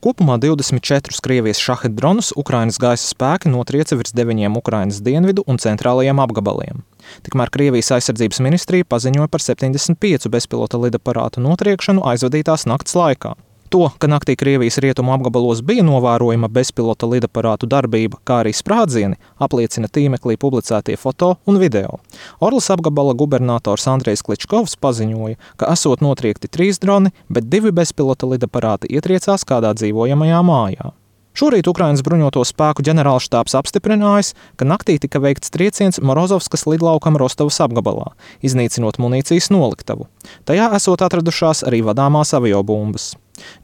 Kopumā 24 Krievijas šaheda dronus Ukrainas gaisa spēki notrieca virs 9 Ukrainas dienvidu un centrālajiem apgabaliem. Tikmēr Krievijas aizsardzības ministrija paziņoja par 75 bezpilota lidaparātu notriekšanu aizvadītās nakts laikā. To, ka naktī Krievijas rietumu apgabalos bija novērojama bezpilota lidaparātu darbība, kā arī sprādzieni, apliecina tīmeklī publicētie foto un video. Orlas apgabala gubernators Andrejs Kličkovs paziņoja, ka esot notriekti 3 droni, bet 2 bezpilota lidaparāti ietriecās kādā dzīvojamajā mājā. Šorīt Ukrainas bruņoto spēku ģenerālštābs apstiprinājis, ka naktī tika veikts trieciens Morozovskas lidlaukam Rostovas apgabalā, iznīcinot munīcijas noliktavu. Tajā esot atradušās arī vadāmās aviobumbas.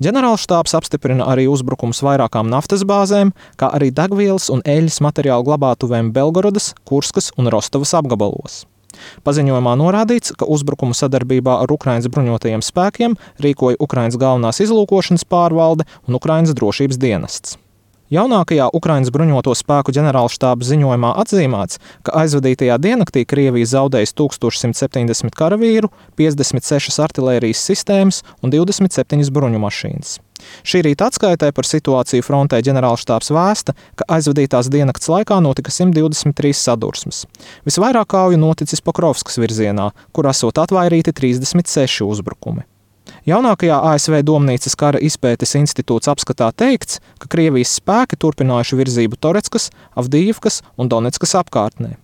Ģenerālštābs apstiprina arī uzbrukums vairākām naftas bāzēm, kā arī degvielas un eļļas materiālu glabātuvēm Belgorodas, Kurskas un Rostovas apgabalos. Paziņojumā norādīts, ka uzbrukumu sadarbībā ar Ukrainas bruņotajiem spēkiem rīkoja Ukrainas galvenās izlūkošanas pārvalde un Ukrainas drošības dienests. Jaunākajā Ukrainas bruņoto spēku ģenerālštāba ziņojumā atzīmēts, ka aizvadītajā diennaktī Krievija zaudējis 1170 karavīru, 56 artilērijas sistēmas un 27 bruņu mašīnas. Šī rīta atskaitē par situāciju frontē ģenerālštābs vēsta, ka aizvadītās diennakts laikā notika 123 sadursmes. Visvairāk kauju noticis Pokrovskas virzienā, kur esot atvairīti 36 uzbrukumi. Jaunākajā ASV Domnīcas kara izpētes institūts apskatā teikts, ka Krievijas spēki turpinājuši virzību Toretskas, Avdijivkas un Donetskas apkārtnē.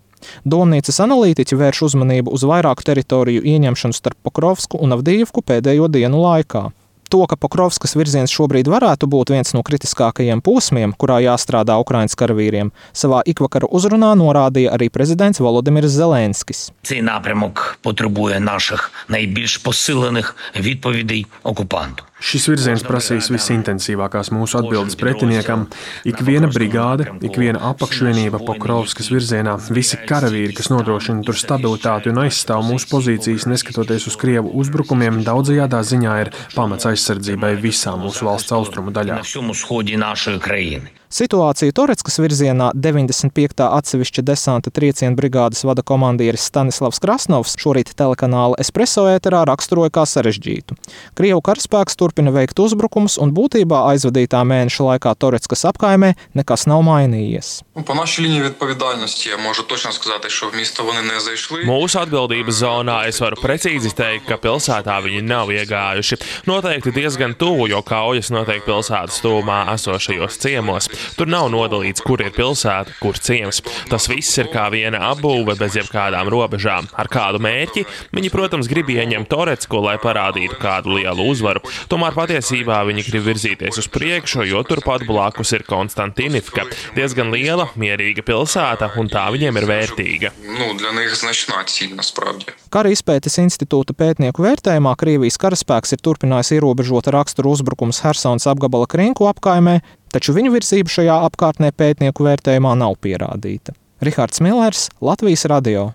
Domnīcas analītiķi vērš uzmanību uz vairāku teritoriju ieņemšanu starp Pokrovsku un Avdijivku pēdējo dienu laikā. To, ka Pokrovskas virziens šobrīd varētu būt viens no kritiskākajiem posmiem, kurā jāstrādā Ukrainas karavīriem, savā ikvakara uzrunā norādīja arī prezidents Volodimirs Zelenskis. Цей напрямок потребує наших найбільш посилених відповідей окупанту. Šis virziens prasīs visintensīvākās mūsu atbildes pretiniekam. Ikviena brigāde, ikviena apakšvienība Pokrovskas virzienā, visi karavīri, kas nodrošina tur stabilitāti un aizstāv mūsu pozīcijas, neskatoties uz Krievu uzbrukumiem, daudzajādā ziņā ir pamats aizsardzībai visā mūsu valsts austrumu daļā. Situāciju Toretskas virzienā 95. atsevišķa desanta trieciena brigādes vada komandieris Stanislavs Krasnovs šorīt telekanāla Espresso ēterā raksturoja kā sarežģītu. Krievu karaspēks turpina veikt uzbrukumus un būtībā aizvadītā mēneša laikā Toretskas apkaimē nekas nav mainījies. Mūsu atbildības zonā es varu precīzi teikt, ka pilsētā viņi nav iegājuši. Noteikti diezgan tuvu, jo kaujas notiek pilsētas tuvumā esošajos ciemos. Tur nav nodalīts, kur ir pilsēta, kur ciems. Tas viss ir kā viena apbūve bez jebkādām robežām. Ar kādu mērķi? Viņi, protams, grib ieņemt Toretsku, lai parādītu kādu lielu uzvaru. Tomēr patiesībā viņi grib virzīties uz priekšu, jo turpat blakus ir Konstantinivka. Diezgan liela, mierīga pilsēta, un tā viņiem ir vērtīga. Kara izpētes institūta pētnieku vērtējumā Krievijas karaspēks ir turpinājis ierobežota rakstura uzbrukums Hersonas apgabala Krinku apkaimē, taču viņu virzība šajā apkārtnē pētnieku vērtējumā nav pierādīta. Rihards Millers, Latvijas radio.